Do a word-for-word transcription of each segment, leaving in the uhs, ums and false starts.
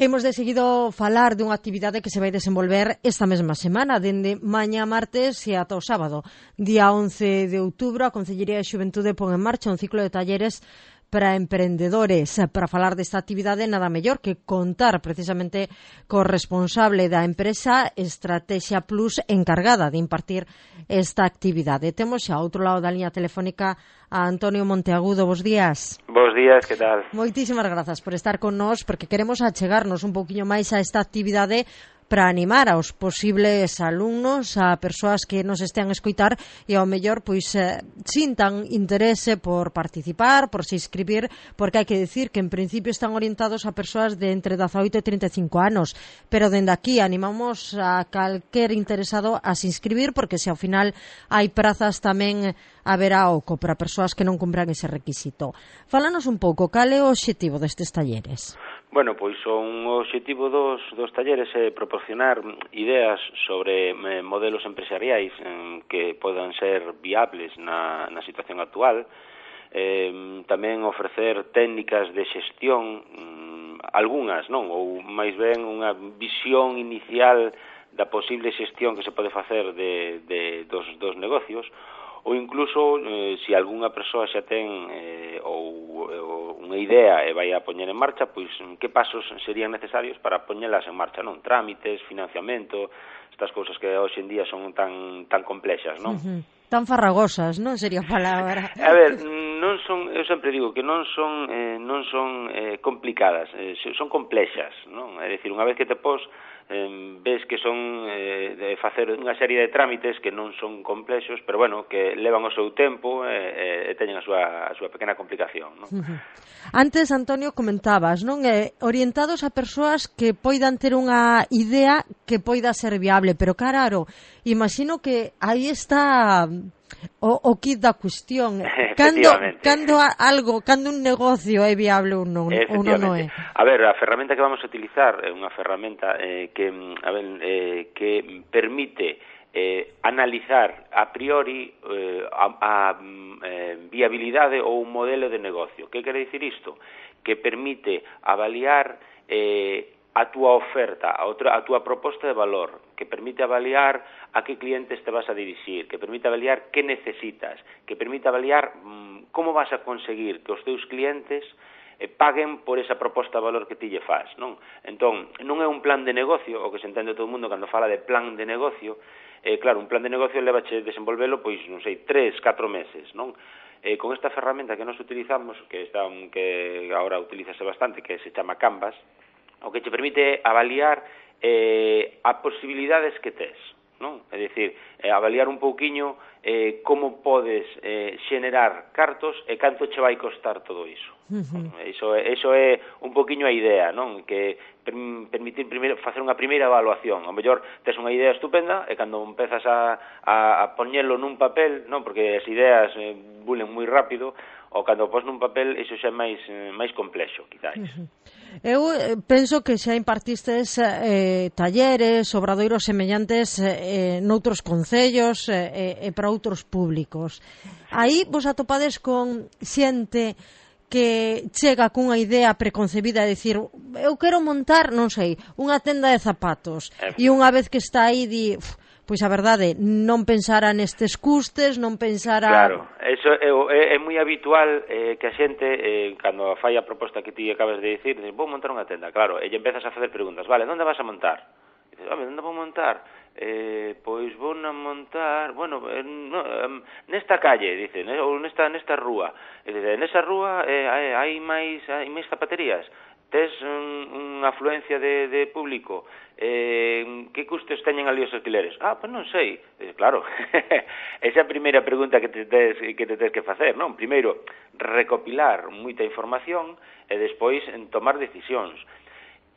Hemos de seguido falar dunha actividade que se vai desenvolver esta mesma semana, dende mañá martes e ata o sábado. Día once de outubro, a Concellería de Xuventude pon en marcha un ciclo de talleres para emprendedores. Para falar desta actividade, nada mellor que contar precisamente co responsable da empresa Estrategia Plus encargada de impartir esta actividade. Temos xa ao outro lado da liña telefónica a Antonio Monteagudo. Bos días. Bos días, que tal? Moitísimas grazas por estar con nós, porque queremos achegarnos un pouquiño máis a esta actividade para animar aos posibles alumnos, a persoas que nos estean a escoitar e ao mellor pois eh, sintan interese por participar, por se inscribir, porque hai que decir que en principio están orientados a persoas de entre dezaoito e trinta e cinco anos, pero dende aquí animamos a calquer interesado a se inscribir, porque se ao final hai prazas tamén haberá oco para persoas que non cumpran ese requisito. Fálanos un pouco, cal é o obxectivo destes talleres? Bueno, pois son o obxectivo dos, dos talleres é proporcionar ideas sobre eh, modelos empresariais eh, que podan ser viables na, na situación actual, eh, tamén ofrecer técnicas de xestión, mm, algunhas, non? Ou máis ben unha visión inicial da posible xestión que se pode facer de, de, dos, dos negocios, ou incluso, eh, se algunha persoa xa ten eh, ou, ou unha idea e vai a poñer en marcha, pois que pasos serían necesarios para poñelas en marcha, non? Trámites, financiamento, estas cousas que hoxe en día son tan tan complexas, non? Uh-huh. Tan farragosas, non sería a palabra. A ver, non son, eu sempre digo que non son eh, non son eh, complicadas, eh, son complexas, non? É dicir, unha vez que te pos eh, ves que son eh, de facer unha serie de trámites que non son complexos, pero bueno, que levan o seu tempo e eh, eh, teñen a súa, a súa pequena complicación, non? Uh-huh. Antes, Antonio, comentabas, non? Eh, orientados a persoas que poidan ter unha idea que poida ser viable, pero claro, imagino que aí está o, o kit da cuestión. Cando, cando algo, cando un negocio é viable ou non, ou non é? A ver, a ferramenta que vamos a utilizar é unha ferramenta eh, que, a ver, eh, que permite eh, analizar a priori eh, a, a eh, viabilidade ou un modelo de negocio. Que quere dicir isto? Que permite avaliar eh, a túa oferta, a, outra, a túa proposta de valor, que permite avaliar a que clientes te vas a dirixir, que permite avaliar que necesitas, que permite avaliar mmm, como vas a conseguir que os teus clientes eh, paguen por esa proposta de valor que ti lle faz, non? Entón, non é un plan de negocio, o que se entende todo o mundo cando fala de plan de negocio, eh, claro, un plan de negocio levache desenvolvelo, pois, non sei, tres, catro meses, non? Eh, con esta ferramenta que nos utilizamos, que, está, que agora utilízase bastante, que se chama Canvas, o que te permite avaliar eh, a posibilidades que tes, non? É dicir, eh, avaliar un pouquiño eh, como podes eh, xenerar cartos e canto che vai costar todo iso. Uh-huh. Iso, iso é un pouquiño a idea, non? Que permitir primeiro facer unha primeira evaluación. Ao mellor tes unha idea estupenda e cando empezas a, a, a poñelo nun papel, non? Porque as ideas eh, bulen moi rápido, ou cando pos nun papel, iso xa é máis, máis complexo, quizáis. Uh-huh. Eu penso que xa impartistes eh, talleres, obradoiros semellantes eh, noutros concellos e eh, eh, para outros públicos. Aí vos atopades con xente que chega cunha idea preconcebida de dicir, eu quero montar, non sei, unha tenda de zapatos, e unha vez que está aí di, pois a verdade, non pensara nestes custes, non pensara... Claro, eso é, é, é moi habitual eh, que a xente, eh, cando fai a proposta que ti acabas de dicir, dice, vou montar unha tenda, claro, e empezas a facer preguntas, vale, onde vas a montar? E dices, onde vou montar? Eh, pois vou a montar, bueno, eh, no, eh, nesta calle, dice, ne, ou nesta, nesta rúa. E dice, nesa rúa eh, hai, hai máis hai máis zapaterías, tes un, unha afluencia de, de público, eh, que custos teñen ali os alquileres? Ah, pois non sei. Dice, claro, esa é a primeira pregunta que te tes que, te tes que facer, non? Primeiro, recopilar moita información e despois en tomar decisións.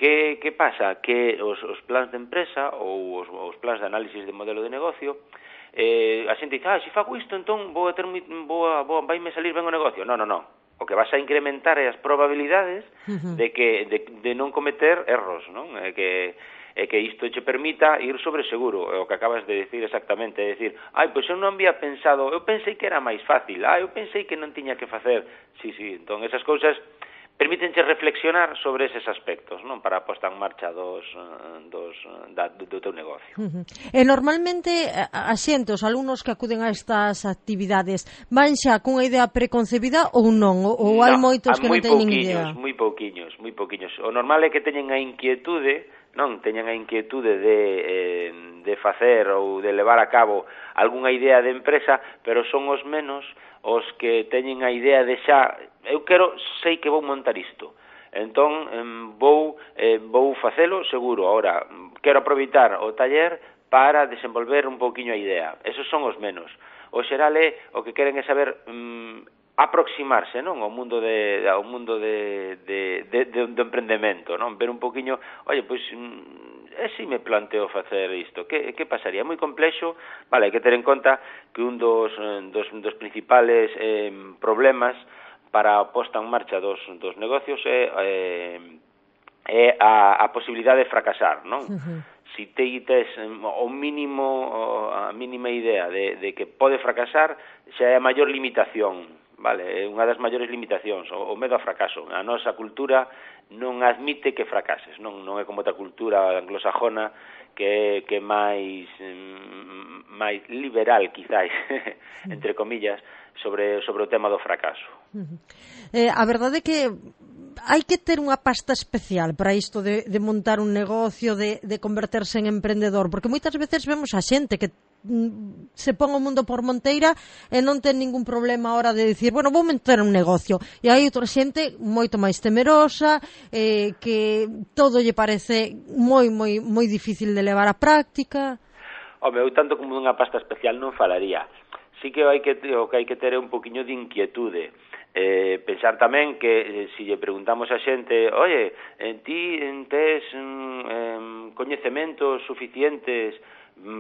Que, que pasa? Que os, os plans de empresa ou os, os plans de análisis de modelo de negocio, eh, a xente dice, ah, se fago isto, entón vou a ter, vou a, vou, vai me salir ben o negocio. Non, non, non. O que vas a incrementar é as probabilidades uh-huh. de que de, de non cometer erros, non? É que e que isto che permita ir sobre seguro, é o que acabas de decir exactamente, é dicir, ai, pois eu non había pensado, eu pensei que era máis fácil, ah, eu pensei que non tiña que facer, sí, sí, entón esas cousas permítenche reflexionar sobre eses aspectos, non, para a posta en marcha dos, dos, da, do, do teu negocio. Uh-huh. E normalmente a xente, os alumnos que acuden a estas actividades, van xa cunha idea preconcebida ou non? Ou hai no, moitos que non teñen idea? Moi pouquiños, moi pouquiños. O normal é que teñen a inquietude, non, teñen a inquietude de, eh, de facer ou de levar a cabo algunha idea de empresa, pero son os menos os que teñen a idea de xa, eu quero, sei que vou montar isto, entón vou, eh, vou facelo seguro. Ahora, quero aproveitar o taller para desenvolver un pouquiño a idea. Esos son os menos. O xeral é, o que queren é saber um, aproximarse, non, ao mundo de ao mundo de de de de do emprendemento, non? Ver un pouquiño, oye, pois e se me planteo facer isto, que que pasaría? É moi complexo, vale, hai que ter en conta que un dos dos dos principales eh, problemas para a posta en marcha dos dos negocios é eh, é a a posibilidade de fracasar, non? Uh-huh. Si te tes o mínimo, a mínima idea de, de que pode fracasar, xa é a maior limitación, vale, é unha das maiores limitacións, o, o medo a fracaso. A nosa cultura non admite que fracases, non non é como outra cultura anglosajona que que máis máis liberal, quizáis, entre comillas, sobre sobre o tema do fracaso. Uh-huh. Eh, a verdade é que hai que ter unha pasta especial para isto de, de montar un negocio, de, de converterse en emprendedor, porque moitas veces vemos a xente que mm, se pon o mundo por monteira e non ten ningún problema a hora de dicir, bueno, vou montar un negocio, e hai outra xente moito máis temerosa, eh, que todo lle parece moi, moi, moi difícil de levar á práctica. Home, eu tanto como unha pasta especial non falaría. Sí que hai que o que hai que ter é un poquiño de inquietude. Eh, pensar tamén que eh, se lle preguntamos a xente, oye, en ti en tes mm, coñecementos suficientes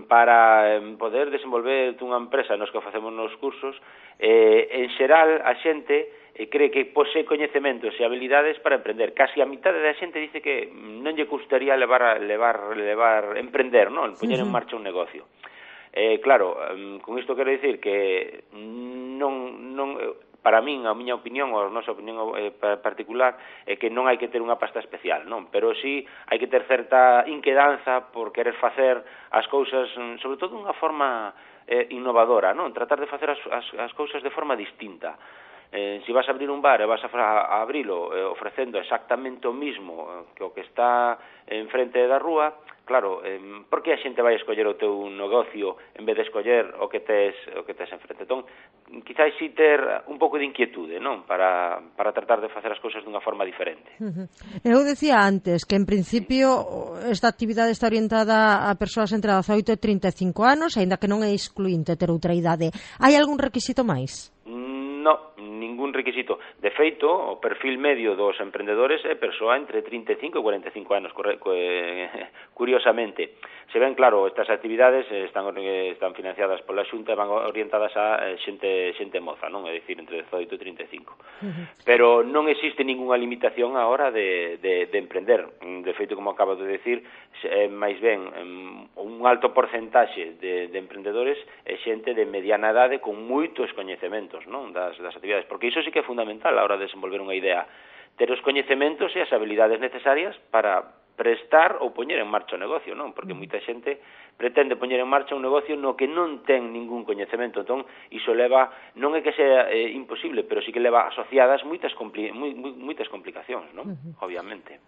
para eh, poder desenvolver unha empresa nos que facemos nos cursos, eh, en xeral a xente eh, cree que posee coñecementos e habilidades para emprender. Casi a mitad da xente dice que non lle gustaría levar, levar, levar emprender, non? Poñer en marcha un negocio. Eh, claro, con isto quero dicir que non, non, para min, a miña opinión, ou a nosa opinión eh, particular, é que non hai que ter unha pasta especial, non? Pero sí hai que ter certa inquedanza por querer facer as cousas, sobre todo dunha forma eh, innovadora, non? Tratar de facer as, as, as cousas de forma distinta. Eh, se vas a abrir un bar e vas a, a abrilo eh, ofrecendo exactamente o mismo eh, que o que está enfrente da rúa, claro, eh, por que a xente vai escoller o teu negocio en vez de escoller o que tes o que tes enfrente? Entón, quizás si ter un pouco de inquietude, non? Para, para tratar de facer as cousas dunha forma diferente. Uh-huh. Eu decía antes que en principio esta actividade está orientada a persoas entre dezaoito e trinta e cinco anos, aínda que non é excluinte ter outra idade. Hai algún requisito máis? No, ningún requisito. De feito, o perfil medio dos emprendedores é persoa entre trinta e cinco e cuarenta e cinco anos, curiosamente. Se ven, claro, estas actividades están están financiadas pola Xunta e van orientadas a xente xente moza, non? É dicir, entre dezaoito e trinta e cinco. Uh-huh. Pero non existe ningunha limitación á hora de, de, de emprender. De feito, como acabo de decir, é máis ben un alto porcentaxe de, de emprendedores é xente de mediana idade con moitos coñecementos, non? Das, das actividades, porque iso sí que é fundamental a hora de desenvolver unha idea, ter os coñecementos e as habilidades necesarias para prestar ou poñer en marcha o negocio, non? Porque moita xente pretende poñer en marcha un negocio no que non ten ningún coñecemento, entón iso leva, non é que sea eh, imposible, pero sí que leva asociadas moitas compli moi, moi, moitas complicacións, non? Uh-huh. Obviamente.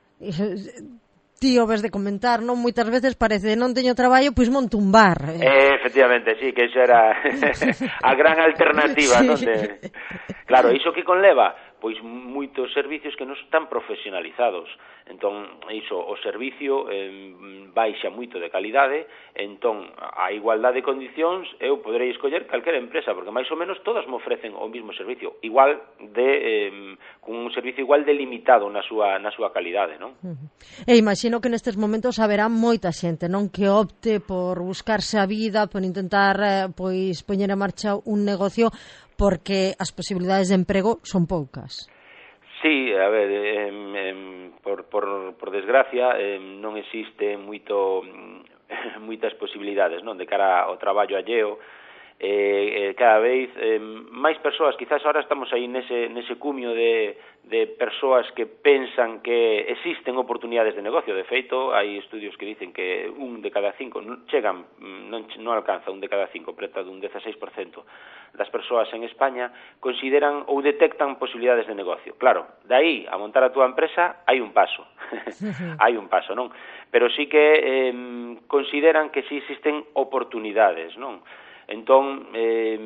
Ti o ves de comentar, non? Moitas veces parece, non teño traballo, pois monto un bar. Eh, efectivamente, sí, que iso era a gran alternativa, sí. Non? De... Claro, iso que conleva? Pois moitos servicios que non están profesionalizados. Entón, iso, o servicio eh, baixa moito de calidade, entón, a igualdade de condicións, eu poderei escoller calquera empresa, porque máis ou menos todas me ofrecen o mismo servicio, igual de, eh, con un servicio igual delimitado na súa, na súa calidade, non? Uh-huh. E imagino que nestes momentos haberá moita xente, non? Que opte por buscarse a vida, por intentar, eh, pois, poñer en marcha un negocio, porque as posibilidades de emprego son poucas. Sí, a ver, eh, eh, por, por, por desgracia eh, non existe moito, moitas posibilidades, non? De cara ao traballo alleo, eh, eh, cada vez eh, máis persoas, quizás ahora estamos aí nese, nese cumio de, de persoas que pensan que existen oportunidades de negocio. De feito, hai estudios que dicen que un de cada cinco non chegan, non, non alcanza un de cada cinco, preta dun dieciséis por cento das persoas en España consideran ou detectan posibilidades de negocio. Claro, de aí a montar a túa empresa hai un paso, hai un paso, non? Pero sí que eh, consideran que sí existen oportunidades, non? Entón, eh,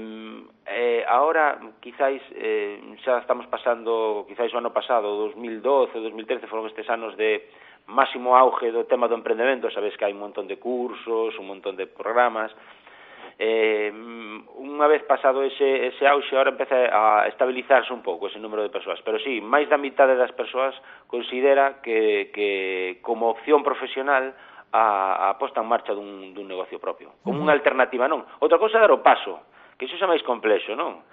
eh, ahora, quizáis, eh, xa estamos pasando, quizáis o ano pasado, dos mil doce, dos mil trece, foron estes anos de máximo auge do tema do emprendemento. Sabes que hai un montón de cursos, un montón de programas. Eh, unha vez pasado ese, ese auxe, ahora empeza a estabilizarse un pouco ese número de persoas. Pero sí, máis da mitade das persoas considera que, que como opción profesional a, a posta en marcha dun, dun negocio propio, como unha alternativa, non? Outra cousa é dar o paso, que iso xa máis complexo, non?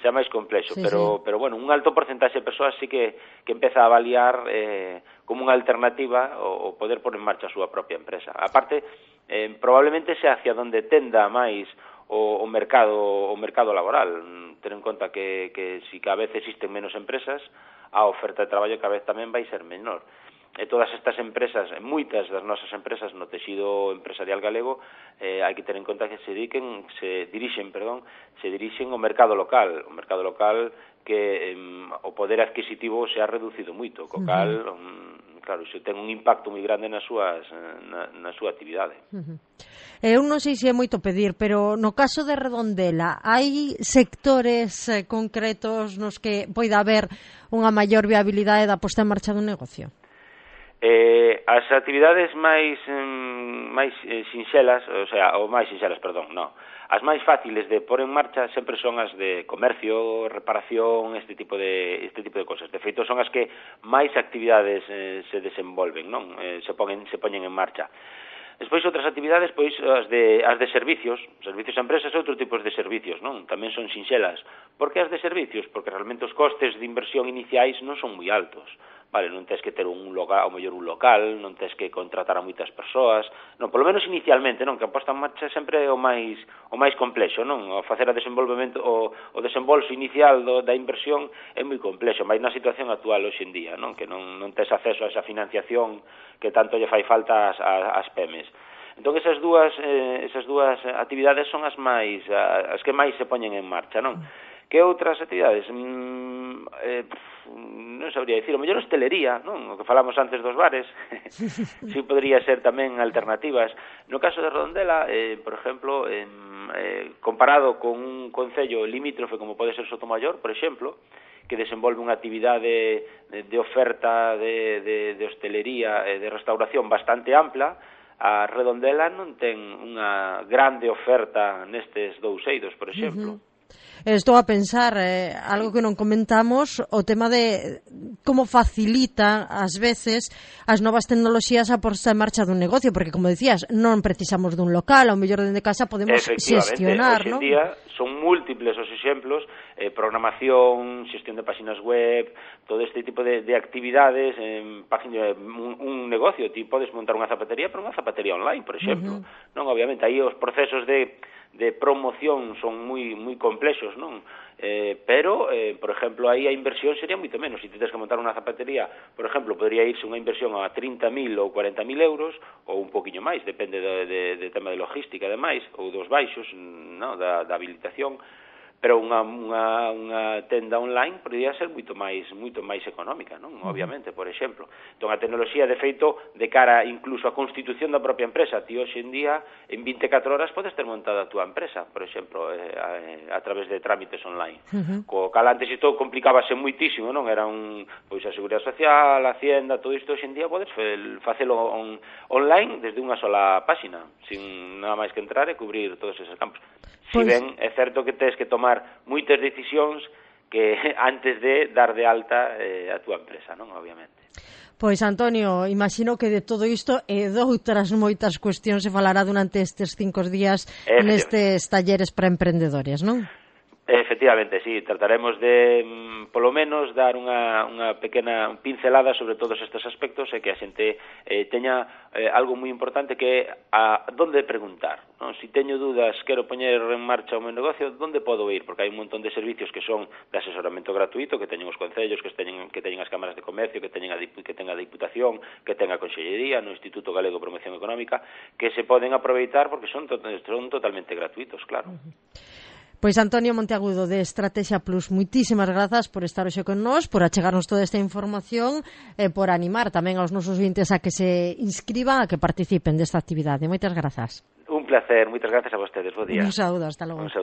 Xa máis complexo, sí, pero, sí. pero bueno, un alto porcentaxe de persoas sí que, que empeza a avaliar eh, como unha alternativa o, o poder pôr en marcha a súa propia empresa. Aparte, eh, probablemente sea hacia donde tenda máis o, o mercado o mercado laboral. Ten en conta que, que si cada vez existen menos empresas, a oferta de traballo cada vez tamén vai ser menor. E todas estas empresas, moitas das nosas empresas no texido empresarial galego, eh, hai que ter en conta que se dediquen, se dirixen, perdón, se dirixen ao mercado local, o mercado local que eh, o poder adquisitivo se ha reducido moito, co cal, um, claro, iso ten un impacto moi grande nas súas, na, na súa actividade. Uh-huh. Eu non sei se é moito pedir, pero no caso de Redondela, hai sectores eh, concretos nos que poida haber unha maior viabilidade da posta en marcha dun negocio? Eh, as actividades máis mm, máis eh, sinxelas, o sea, ou máis sinxelas, perdón, non. As máis fáciles de pôr en marcha sempre son as de comercio, reparación, este tipo de este tipo de cosas. De feito, son as que máis actividades eh, se desenvolven, non? Eh, se poñen se poñen en marcha. Despois outras actividades, pois as de as de servicios, servicios a empresas e outros tipos de servicios, non? Tamén son sinxelas. Por que as de servicios? Porque realmente os costes de inversión iniciais non son moi altos. Vale, non tens que ter un local, ou mellor un local, non tens que contratar a moitas persoas, non, polo menos inicialmente, non, que a posta en marcha sempre é o máis o máis complexo, non? O facer a desenvolvemento o, o desembolso inicial do, da inversión é moi complexo, máis na situación actual hoxe en día, non? Que non non tes acceso a esa financiación que tanto lle fai falta ás, ás pemes. Entón esas dúas eh, esas dúas actividades son as máis as que máis se poñen en marcha, non? Que outras actividades? Mm, eh, non sabría dicir, o mellor hostelería, non? O que falamos antes dos bares, si podría ser tamén alternativas. No caso de Redondela, eh, por exemplo, eh, eh, comparado con un concello limítrofe como pode ser Sotomayor, por exemplo, que desenvolve unha actividade de, de oferta de, de, de hostelería e de restauración bastante ampla, a Redondela non ten unha grande oferta nestes dous eidos, por exemplo. Uh-huh. Estou a pensar, eh, algo que non comentamos, o tema de como facilita, ás veces, as novas tecnoloxías a posta en marcha dun negocio, porque, como decías, non precisamos dun local, ao mellor dende casa podemos xestionar, non? Efectivamente, hoxe en día son múltiples os exemplos, eh, programación, xestión de páxinas web, todo este tipo de, de actividades, eh, página, un, un negocio, ti podes montar unha zapatería, pero unha zapatería online, por exemplo, uh-huh. non? Obviamente, aí os procesos de de promoción son moi moi complexos, non? Eh, pero, eh, por exemplo, aí a inversión sería moito menos. Se si tens que montar unha zapatería, por exemplo, podría irse unha inversión a trinta mil ou cuarenta mil euros, ou un poquinho máis, depende de, de, de tema de logística, ademais, ou dos baixos, non? Da, da habilitación, pero unha, unha, unha tenda online podría ser moito máis moito máis económica, non? Obviamente, por exemplo. Entón, a tecnoloxía, de feito, de cara incluso á constitución da propia empresa, ti hoxe en día, en vinte e catro horas, podes ter montada a túa empresa, por exemplo, eh, a, a través de trámites online. Uh-huh. Co cal antes isto complicábase moitísimo, non? Era un, pois, a Seguridade Social, a Hacienda, todo isto hoxe en día podes facelo on, online desde unha sola páxina, sin nada máis que entrar e cubrir todos esos campos. Si ben é certo que tens que tomar moitas decisións que antes de dar de alta eh, a túa empresa, non? Obviamente. Pois, Antonio, imagino que de todo isto e doutras moitas cuestións se falará durante estes cinco días nestes talleres para emprendedores, non? Efectivamente, sí, trataremos de, polo menos, dar unha, unha pequena pincelada sobre todos estes aspectos e que a xente eh, teña eh, algo moi importante que é a donde preguntar, non? Si teño dúdas, quero poñer en marcha o meu negocio, onde podo ir? Porque hai un montón de servicios que son de asesoramento gratuito, que teñen os concellos, que teñen, que teñen as cámaras de comercio, que teñen a, que teñen a Diputación, que teñen a Consellería, no Instituto Galego de Promoción Económica, que se poden aproveitar porque son, to son totalmente gratuitos, claro. Uh-huh. Pois Antonio Monteagudo de Estrategia Plus, moitísimas grazas por estar hoxe con nós, por achegarnos toda esta información e por animar tamén aos nosos vintes a que se inscriban, a que participen desta actividade. Moitas grazas. Un placer, moitas grazas a vostedes. Bo día. Un saúdo, hasta logo. Un saúdo.